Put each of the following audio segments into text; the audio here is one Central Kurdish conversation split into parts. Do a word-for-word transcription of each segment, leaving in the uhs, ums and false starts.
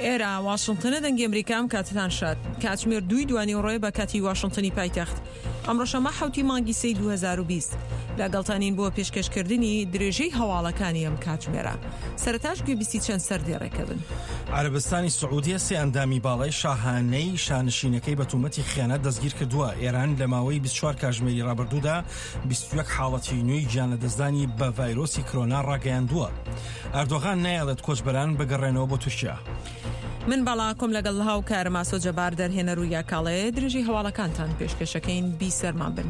ئێرە واشنتنە، دەنگی ئەمریکا. ئەم کاتتان شاد. کاتژمێر دووی دوانیوەڕۆیە بە کاتی واشنتنی پایتەخت. ئەمڕۆ شەممە حەوتی مانگی سێی دوو هەزار و بیست. لەگەڵتانین بۆ پێشکەشکردنی درێژەی هەواڵەکانی ئەم کاتژمێرە. سەرەتاش گوێبیستی چەند سەردێڕێکە بن. عەرەبستانی سعودیە سێ ئەندامی باڵای شاهانەی شانشینەکەی بە تۆمەتی خیانەت دەستگیر کردووە. ئێران لە ماوەی بیست و چوار کاتژمێری ڕابردوودا بیست و یەک حاڵەتی نوێی گیانلەدەستدانی بە ڤایرۆسی کرۆنا ڕاگەیاندووە. ئەردۆغان نایەڵێت کۆچبەران بگەڕێنەوە بۆ تورکیا. من بەڵاکۆم لەگەڵ هاوکارم ئاسۆ جەبار دەرهێنەر و یاکاڵێ درێژەی هەواڵەکانتان پێشکەشەکەین. بیسەرمان بن.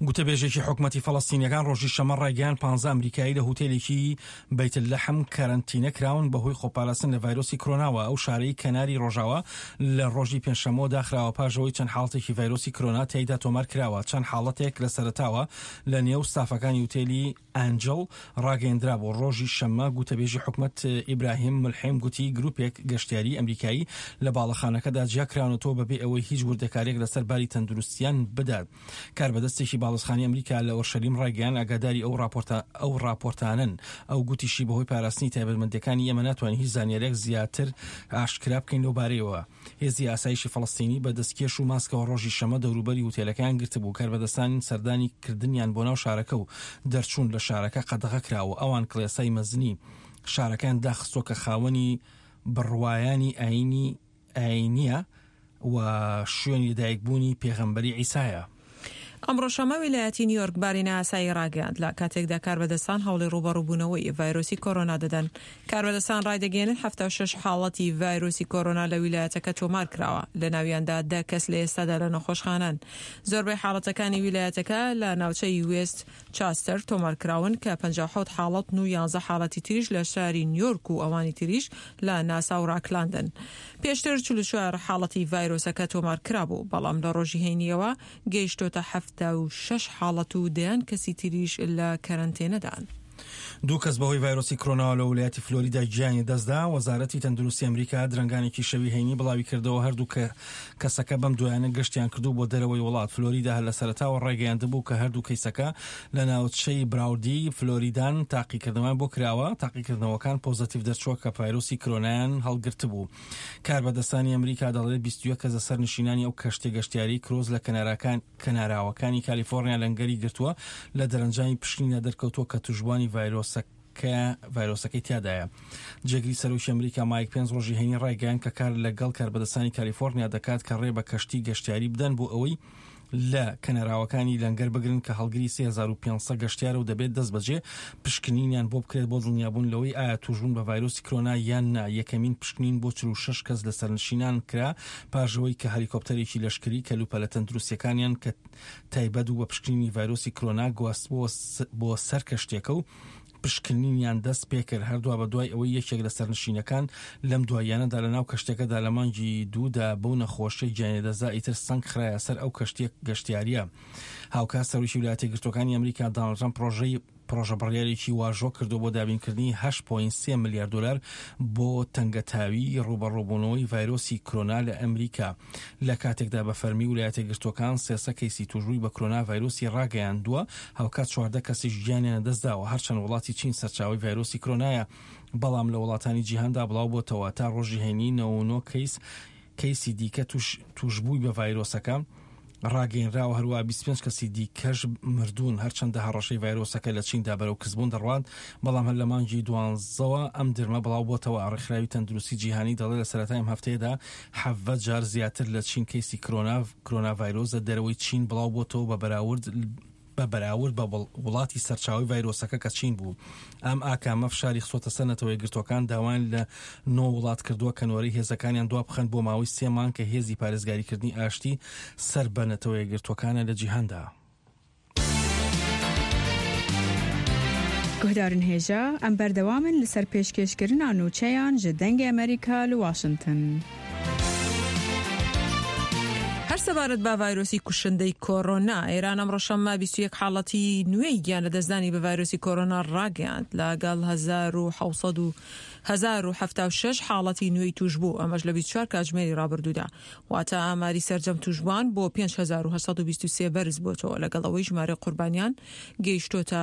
گوتەبێژێکی حکومەتی فەڵەستینیەکان ڕۆژی شەممە ڕایگەیاند پانزە ئەمریکایی لە هوتێلێکی بەیت لەحم کەرەنتینە کراون بەهۆی خۆپاراستن لە ڤایرۆسی کرۆناوە. ئەو شارەی کەناری ڕۆژاوا لە ڕۆژی پێنجشەممەوە داخراوە پاش ئەوەی چەند حاڵەتێکی ڤایرۆسی کرۆنا تیایدا تۆمار کراوە. چەند حاڵەتێک لە سەرەتاوە لە نێو ستافەکانی هوتێلی ئەنجڵ ڕاگەیەندرابوو. ڕۆژی شەممە گوتەبێژی حکومەت ئیبراهیم ملحیم گوتی گروپێک گەشتیاری ئەمریکایی لە باڵەخانەکەدا جیاکراونەتەوە بەبێ ئەوەی هیچ وردەکاریەک لەسەر باری تەندروستیان بدات. کاربەدەستێکی باڵەخانی ئەمریکا لە ئۆرشەلیم ڕایگەیان ئاگاداری ئەو راپۆرتە ئەو راپۆرتانن. ئەو گوتیشی بەهۆی پاراستنی تایبەتمەندیەکانی ئێمە ناتوانین هیچ زانیاریەک زیاتر ئاشکرا بکەین لەو بارەیەوە. هێزی ئاسایشی فەڵەستینی بە دەستکێش و ماسکەوە ڕۆژی شەممە دەوروبەری هوتێلەکەیان گرتبوو. کاربەدەستان سەردانی کردنیان بۆ ناو شارەکە و دەرچوون لە شارەکە قەدەغە کراوە. ئەوان کڵێسای مەزنی شارەکەیان داخستووە کە خاوەنی بڕوایانی ئاینی ئاینیە و شوێنی لەدایکبوونی پێغەمبەری عیسایە. ئەمڕۆ شەممە ویلایەتی نیویۆرک باری نائاسایی ڕاگەیاند لە کاتێکدا کاربەدەستان هەوڵی ڕووبەڕووبوونەوەی ڤایرۆسی کۆرۆنا دەدەن. کاربەدەستان ڕایدەگەیەنن حەفتا و شەش حاڵەتی ڤایرۆسی کۆرۆنا لە ویلایەتەکە تۆمار کراوە، لە ناویاندا دە کەس لە ئێستادا لە نەخۆشخانەن. زۆربەی حاڵەتەکانی ویلایەتەکە لە ناوچەی وێست چاستەر تۆمار کراون کە پەنجا و حەوت حاڵەتن و یانزە حاڵەتی تریش لە شاری نیویۆرک و ئەوانی تریش لە ناسا و ڕاکلاندن. پێشتر چل و چوار حاڵەتی ڤایرۆسەکە تۆمار کرابوو، بەڵام لە ڕۆژی هەینیەوە گەیشتۆتە حەفتا و شەش حاڵەت و دەیان کەسی تریش لە کەرەنتێنەدان. دوو کەس بەهۆی ڤایرۆسی کرۆناوە لە ویلایەتی فلۆریدا گیانی دەستدا. وەزارەتی تەندروستی ئەمریکا درەنگانێکی شەوی هەینی بڵاوی کردەوە هەردوو کەسەکە بەم دوایانە گەشتیان کردو بۆ دەرەوەی وڵات. فلۆریدا هەر لە سەرەتاوە ڕایگەیاندبوو کە هەردوو کەیسەکە لە ناوچەی براودی فلۆریدان تاقیکردنەوەیان بۆ کراوە. تاقیکردنەوەکان پۆزەتیڤ دەرچووە کە ڤایرۆسی کرۆنایان هەڵگرتبوو. کاربەدەستانی ئەمریکا دەڵێت بیست و یەک کەس لەسەر نشینانی ئەو کەشتیە گەشتیاری کرۆز لە کەناراوەکانی کالیفۆرنیا لەنگەری گرتووە لە دەرەنجامی پشکنیندا دەرکەوتووە کە توشبوانی ڤایرۆسەکە ڤایرۆسەکەی تیادایە. جێگری سەرۆکی ئەمریکا مایک پێنس ڕۆژی هەینی ڕایگەیاند کە کار لەگەڵ کاربەدەستانی کالیفۆرنیا دەکات کە ڕێ بە کەشتی گەشتیاری بدەن بۆ ئەوەی لە کەناراوەکانی لەنگەر بگرن کە هەڵگری سێ هەزار و پێنج سەد گەشتیارە و دەبێت دەست بەجێ پشکنینیان بۆ بکرێت بۆ دڵنیابوون لەوەی ئایا توشبوون بە ڤایرۆسی کرۆنا یان نا. یەکەمین پشکنین بۆ چل و شەش کەس لە سەرنشینان کرا پاش ئەوەی کە هەلیکۆپتەرێکی لەشکری کەلوپەلە تەندروستیەکانیان کە تایبەت بوو بە پشکنینی ڤایرۆسی کرۆنا گواست بۆ سەر کەشتێکە و پشکنینیان دەست پێکرد. هەردووا بە دوای ئەوەی یەکێک لە سەرنشینەکان لەم دواییانەدا لە ناو کەشتەکەدا لە مانگی دوودا بەو نەخۆشیە گیانی دەستدا، ئیتر سەنگ خرایە سەر ئەو کەشتیە گەشتیاریە. هاوکات سەرۆکی ویلایەتە یەکگرتووەکانی ئەمریکا داناڵد ترەمپ پرۆژەی پرۆژە بڕیارێکی واژۆ کردو بۆ دابینکردنی هەشت پۆینت سێ ملیار دلار بۆ تەنگەتاوی ڕووبەڕووبوونەوەی ڤایرۆسی کرۆنا لە ئەمریکا. لە کاتێکدا بە فەرمی ویلایەتە یەکگرتووەکان سێسە کەیسی توشبووی بە کرۆنا ڤایرۆسی ڕاگەیاندووە، هاوکات چواردە کەسیش گیانیان لەدەستداوە. هەرچەند وڵاتی چین سەرچاوەی ڤایرۆسی کرۆنایە، بەڵام لە وڵاتانی جیهاندا بڵاو بۆتەوە. تا ڕۆژی هەینی نەوە و نۆ کەیس کەیسی دیکە توشبووی بە ڤایرۆسەکە ڕاگەیەنراوە، هەروە بیست و پێنج کەسی دیکەش مردوون. هەرچەندە هەڕەشەی ڤایرۆسەکە لە چیندا بەرەو کزبوون دەڕوات، بەڵام هەر لە مانگی دوانزەوە ئەم درمە بڵاو بۆتەوە. ڕێکخراوی تەندروستی جیهانی دەڵێت لە سەرەتای ئەم هەفتەیەدا حەڤدە جار زیاتر لە چین کەیسی کرۆنا کرۆنا ڤایرۆس لە دەرەوەی چین بڵاو بۆتەوە بە بەراورد بە بەراورد بە وڵاتی سەرچاوەی ڤایرۆسەکە کە چین بوو. ئەم ئاکامە فشاری خستۆتە سەر نەتەوە یەکگرتووەکان، داوایان لە نۆ وڵات کردووە کە نۆرەی هێزەکانیان دوا بخەن بۆ ماوەی سێ مانگ کە هێزی پارێزگاریکردنی ئاشتی سەر بە نەتەوە یەکگرتووەکانە لە جیهاندا. گوهدارن هێژا ئەم بەردەوامن لەسەر پێشکێشکردنا نوچەیان ji دەنگی ئەمریکا لە واشنتن. هەر سەبارەت بە ڤایرۆسی کوشندەی کۆرۆنا، ئێران ئەمڕۆ شەممە بیست و یەک حاڵەتی نوێی گیان لەدەستدانی بە ڤایرۆسی کۆرۆنا ڕاگەیاند، لەگەڵ هەزار و حەوت سەد و هەزار و حەفتا و شەش حاڵەتی نوێی توشبوو، ئەمەش لە بیست و چوار کاتژمێری ڕابردوودا. واتە ئاماری سەرجەم توشبووان بۆ پێنج هەزار و هەشت سەد و بیست و سێ بەرز بۆتەوە، لەگەڵ ئەوەی ژمارەی قوربانیان گەیشتۆتە